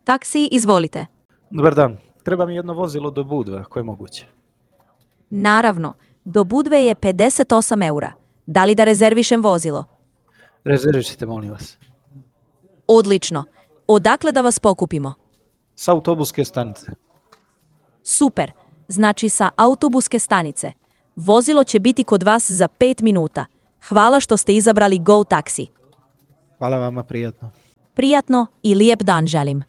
Taksi, izvolite. Dobar dan. Treba mi jedno vozilo do Budve, ako je moguće. Naravno, do Budve je 58 eura. Da li da rezervišem vozilo? Rezervišite, molim vas. Odlično. Odakle da vas pokupimo? S autobuske stanice. Super. Znači sa autobuske stanice. Vozilo će biti kod vas za 5 minuta. Hvala što ste izabrali Go Taxi. Hvala vama, prijatno. Prijatno i lijep dan želim.